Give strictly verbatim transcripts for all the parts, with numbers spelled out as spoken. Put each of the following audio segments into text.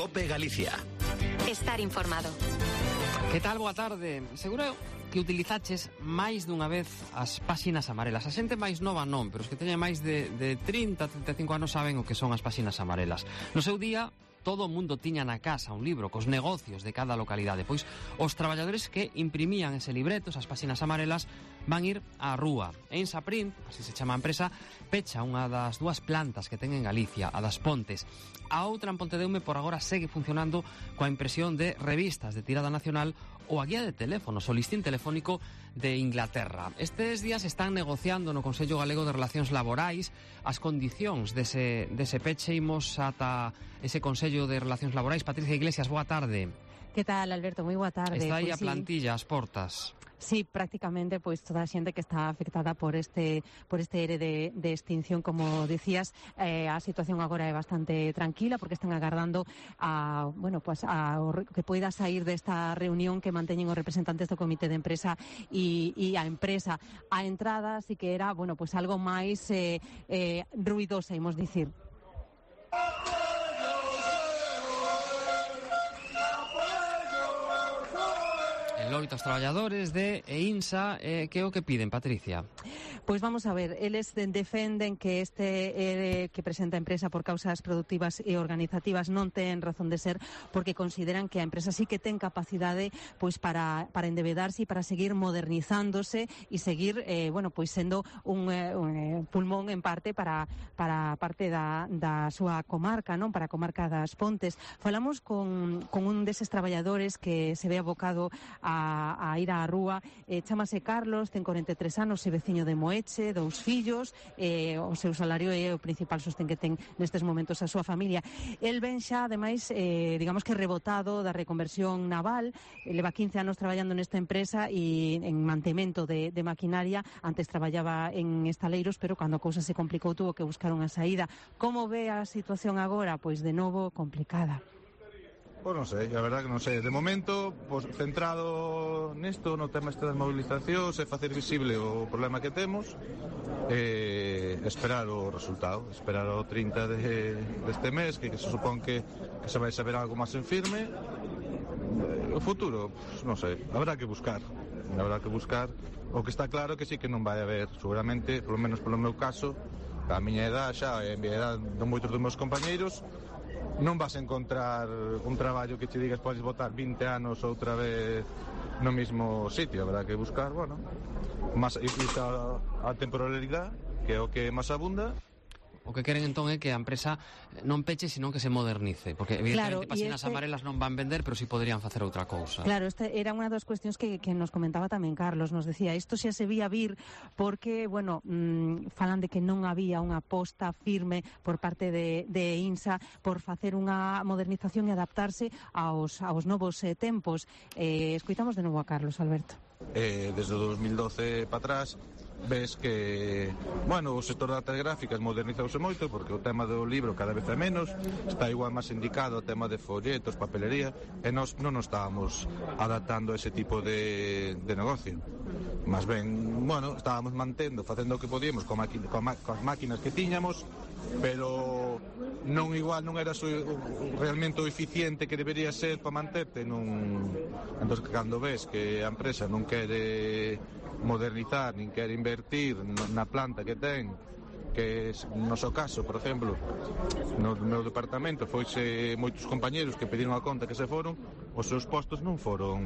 COPE Galicia. Estar informado. Que tal? Boa tarde. Seguro que utilizaches máis dunha vez as páxinas amarelas. A xente máis nova non, pero os que teñen máis de, de trinta, trinta e cinco anos saben o que son as páxinas amarelas. No seu día, todo o mundo tiña na casa un libro cos negocios de cada localidade. Pois os traballadores que imprimían ese libreto, esas páxinas amarelas, van ir á rúa. Ensa Print, así se chama a empresa, pecha unha das dúas plantas que ten en Galicia, a das Pontes. A outra en Pontedeume por agora segue funcionando coa impresión de revistas de tirada nacional ou a guía de teléfonos, o listín telefónico de Inglaterra. Estes días están negociando no Consello Galego de Relacións Laborais as condicións dese, dese peche. Imos ata ese Consello de Relacións Laborais. Patricia Iglesias, boa tarde. Que tal, Alberto? Moi boa tarde. Está aí pues a plantilla, sí. As portas. Sí, prácticamente pois toda a xente que está afectada por este por este ere de, de extinción, como decías, eh, a situación agora é bastante tranquila porque están agardando a, bueno, pues a que poida sair desta reunión que manteñen os representantes do comité de empresa e, e a empresa. A entrada sí que era, bueno, pues algo máis eh, eh, ruidosa, imos dicir. Loito aos traballadores de EINSA, eh, que é o que piden, Patricia? Pois vamos a ver, eles defenden que este eh, que presenta a empresa por causas productivas e organizativas non ten razón de ser, porque consideran que a empresa sí que ten capacidade pois para, para endebedarse e para seguir modernizándose e seguir, eh, bueno, pois sendo un, eh, un eh, pulmón en parte para, para parte da, da súa comarca, non? Para a comarca das Pontes. Falamos con, con un deses traballadores que se ve abocado a a ir á rúa, eh, chamase Carlos, ten corenta e tres anos, é veciño de Moeche, dous fillos, eh, o seu salario é o principal sostén que ten nestes momentos a súa familia. El ven xa, ademais, eh, digamos que rebotado da reconversión naval, leva quince anos traballando nesta empresa e en mantemento de, de maquinaria. Antes traballaba en estaleiros, pero cando a cousa se complicou tuvo que buscar unha saída. Como ve a situación agora? Pois de novo complicada. Pois non sei, a verdade que non sei. De momento, pois, centrado nisto, no tema este das movilizacións, é facer visible o problema que temos e esperar o resultado, esperar o trinta de, deste mes, que, que se supón que, que se vai saber algo máis en firme. O futuro, pois, non sei, habrá que buscar, habrá que buscar. O que está claro que sí que non vai haber, seguramente, polo menos polo meu caso, a miña edad xa, e a miña edad de moitos dos meus compañeiros, non vas a encontrar un traballo que te digas podes botar vinte anos outra vez no mismo sitio. Habrá que buscar, bueno, máis a, a temporalidade, que é o que máis abunda. O que queren entón é que a empresa non peche, senón que se modernice, porque evidentemente claro, páxinas este... amarelas non van vender, pero si sí poderían facer outra cousa. Claro, esta era unha das cuestións que, que nos comentaba tamén Carlos, nos decía, isto xa se vía vir porque, bueno, mmm, falan de que non había unha aposta firme por parte de, de INSA por facer unha modernización e adaptarse aos, aos novos eh, tempos. Eh, escoitamos de novo a Carlos, Alberto. Eh, desde o dos mil doce para atrás ves que, bueno, o sector das artes gráficas modernizouse moito porque o tema do libro cada vez é menos, está igual máis indicado o tema de folletos, papelería, e nós non nos estábamos adaptando a ese tipo de, de negocio. Más ben, bueno, estábamos mantendo, facendo o que podíamos con, maqui, con, ma, con as máquinas que tiñamos, pero non igual, non era su, realmente o eficiente que debería ser para manterte nun... Entón, cando ves que a empresa non quere modernizar, nin quere invertir na planta que ten, que no noso caso, por exemplo, no meu departamento foise moitos compañeros que pediron a conta que se foron, os seus postos non foron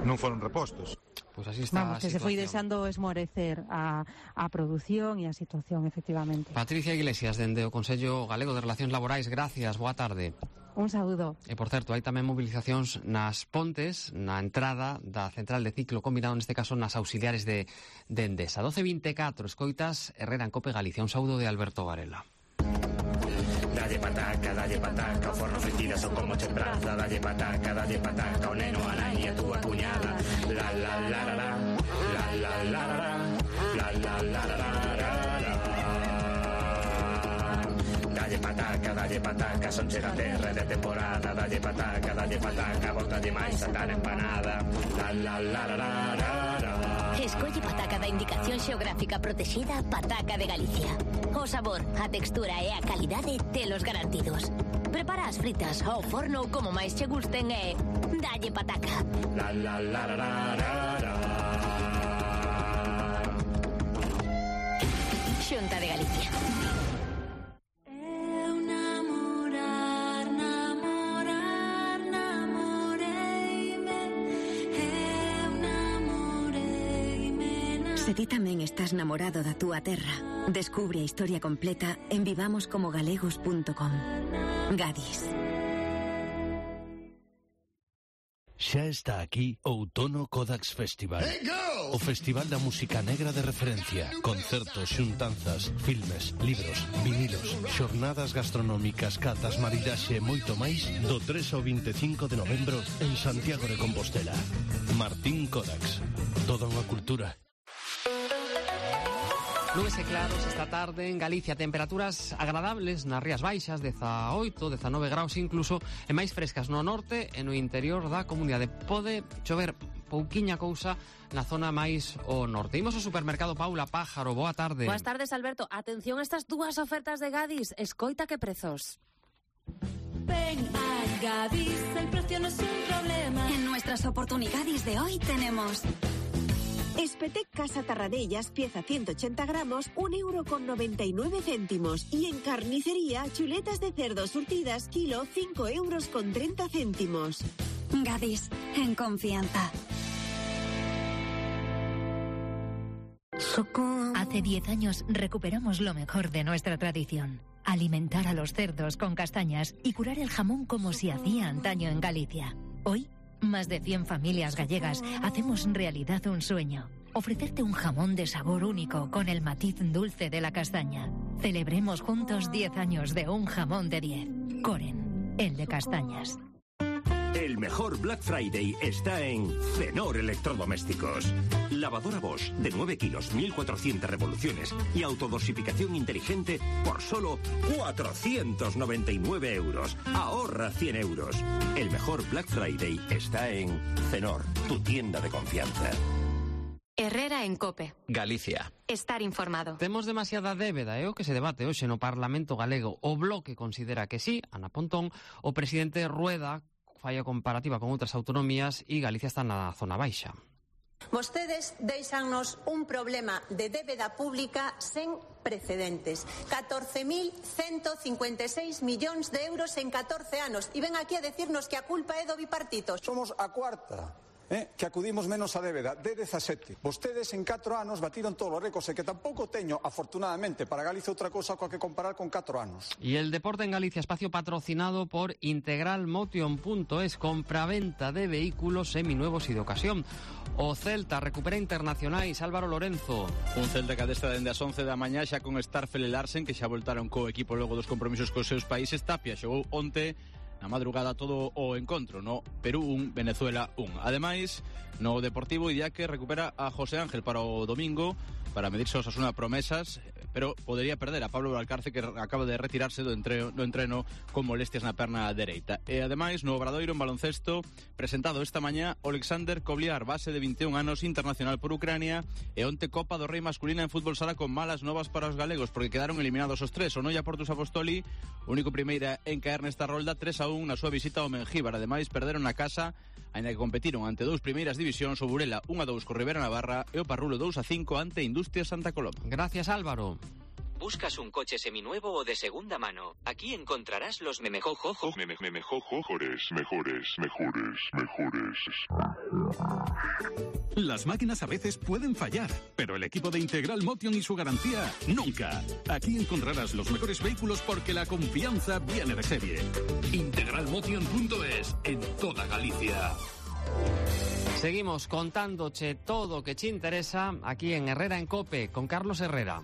non foron repostos. Pois así está. Vamos, que se foi deixando esmorecer a, a produción e a situación, efectivamente. Patricia Iglesias, dende o Consello Galego de Relacións Laborais, gracias, boa tarde. Un saúdo. E, por certo, hai tamén movilizacións nas Pontes, na entrada da central de ciclo combinado, neste caso nas auxiliares de, de Endesa. doce vinte e catro, escoitas Herrera en Cope Galicia. Un saúdo de Alberto Varela. Dalle pataca, dalle pataca, o forno fritira son como chembraza. Dalle pataca, dalle pataca, o neno, a nai e a túa cuñada. La la la la la, la la la la, la la la la la. Dalle pataca, dalle pataca, son chega terra de temporada. Dalle pataca, dalle pataca, bota de máis a tan empanada. La la la la la la. Escolle pataca da indicación xeográfica protexida Pataca de Galicia. O sabor, a textura e a calidade telos garantidos. Prepara as fritas ao forno como máis che gusten e dalle pataca. La la la la la la. Xunta de Galicia. Se ti tamén estás namorado da túa terra, descubre a historia completa en vivamos como galegos punto com. Gadis. Xa está aquí Outono Kodax Festival. O festival da música negra de referencia. Concertos, xuntanzas, filmes, libros, vinilos, xornadas gastronómicas, catas, maridaxe e moito máis do tres ao vinte e cinco de novembro en Santiago de Compostela. Martín Kodax. Toda unha cultura. Nubes e claros esta tarde en Galicia, temperaturas agradables nas Rías Baixas, dezaoito, dezanove graus incluso, e máis frescas no norte e no interior da comunidade. Pode chover pouquiña cousa na zona máis o norte. Imos ao supermercado Paula Pájaro, boa tarde. Boas tardes, Alberto. Atención a estas dúas ofertas de Gadis. Escoita que prezos. Ven a Gadis, el precio no es un problema. En nuestras oportunidades de hoy tenemos... Espetec Casa Tarradellas, pieza ciento ochenta gramos, un euro con noventa y nueve céntimos. Y en carnicería, chuletas de cerdo surtidas, kilo, cinco euros con treinta céntimos. Gadis, en confianza. Hace diez años recuperamos lo mejor de nuestra tradición. Alimentar a los cerdos con castañas y curar el jamón como se hacía antaño en Galicia. Hoy, más de cien familias gallegas hacemos realidad un sueño. Ofrecerte un jamón de sabor único con el matiz dulce de la castaña. Celebremos juntos diez años de un jamón de diez. Coren, el de castañas. El mejor Black Friday está en Cenor Electrodomésticos. Lavadora Bosch de nueve kilos, mil cuatrocientas revoluciones y autodosificación inteligente por solo cuatrocientos noventa y nueve euros. Ahorra cien euros. El mejor Black Friday está en Cenor, tu tienda de confianza. Herrera en Cope. Galicia. Estar informado. Temos demasiada débeda, é o que se debate hoxe no Parlamento Galego. O Bloque considera que sí, Ana Pontón, o presidente Rueda falla comparativa con outras autonomías e Galicia está na zona baixa. Vostedes deixannos un problema de débeda pública sen precedentes. catorce mil ciento cincuenta e seis millóns de euros en catorce anos. E ven aquí a decirnos que a culpa é do bipartito. Somos a cuarta. Eh, que acudimos menos a débeda de dezasete. Vostedes en catro anos batiron todos os récords e que tampouco teño, afortunadamente, para Galicia outra cousa coa que comparar con catro anos. E el deporte en Galicia, espacio patrocinado por Integral Motion punto es, compra-venta de vehículos seminuevos e de ocasión. O Celta recupera internacionais, Álvaro Lorenzo. Un Celta que adestra dende as once da mañá xa con Starfel e Larsen, que xa voltaron co equipo logo dos compromisos cos seus países. Tapia xogou onte na madrugada todo o encontro no Perú un, Venezuela un. Ademais, no Deportivo Idiaque recupera a José Ángel para o domingo para medirse os Osasuna promesas, pero podería perder a Pablo Valcarce, que acaba de retirarse do entreno, do entreno con molestias na perna dereita. E ademais, no Obradoiro en baloncesto, presentado esta mañá Alexander Kobliar, base de vinte e un anos, internacional por Ucrania, e onte Copa do Rei masculina en fútbol sala con malas novas para os galegos, porque quedaron eliminados os tres. O Noia Portus Apostoli, único primeira en caer nesta rolda, tres a un na súa visita ao Mengíbar. Ademais, perderon na casa, aínda que competiron ante dous primeiras divisións, o Burela un a dous co Rivera Navarra e o Parrulo dous a cinco ante Industrias Santa Coloma. Gracias, Álvaro. ¿Buscas un coche seminuevo o de segunda mano? Aquí encontrarás los memejojojos. Meme, memejojojores, mejores, mejores, mejores. Las máquinas a veces pueden fallar, pero el equipo de Integral Motion y su garantía, nunca. Aquí encontrarás los mejores vehículos porque la confianza viene de serie. Integral Motion punto es, en toda Galicia. Seguimos contándoche todo o que te interesa aquí en Herrera en Cope con Carlos Herrera.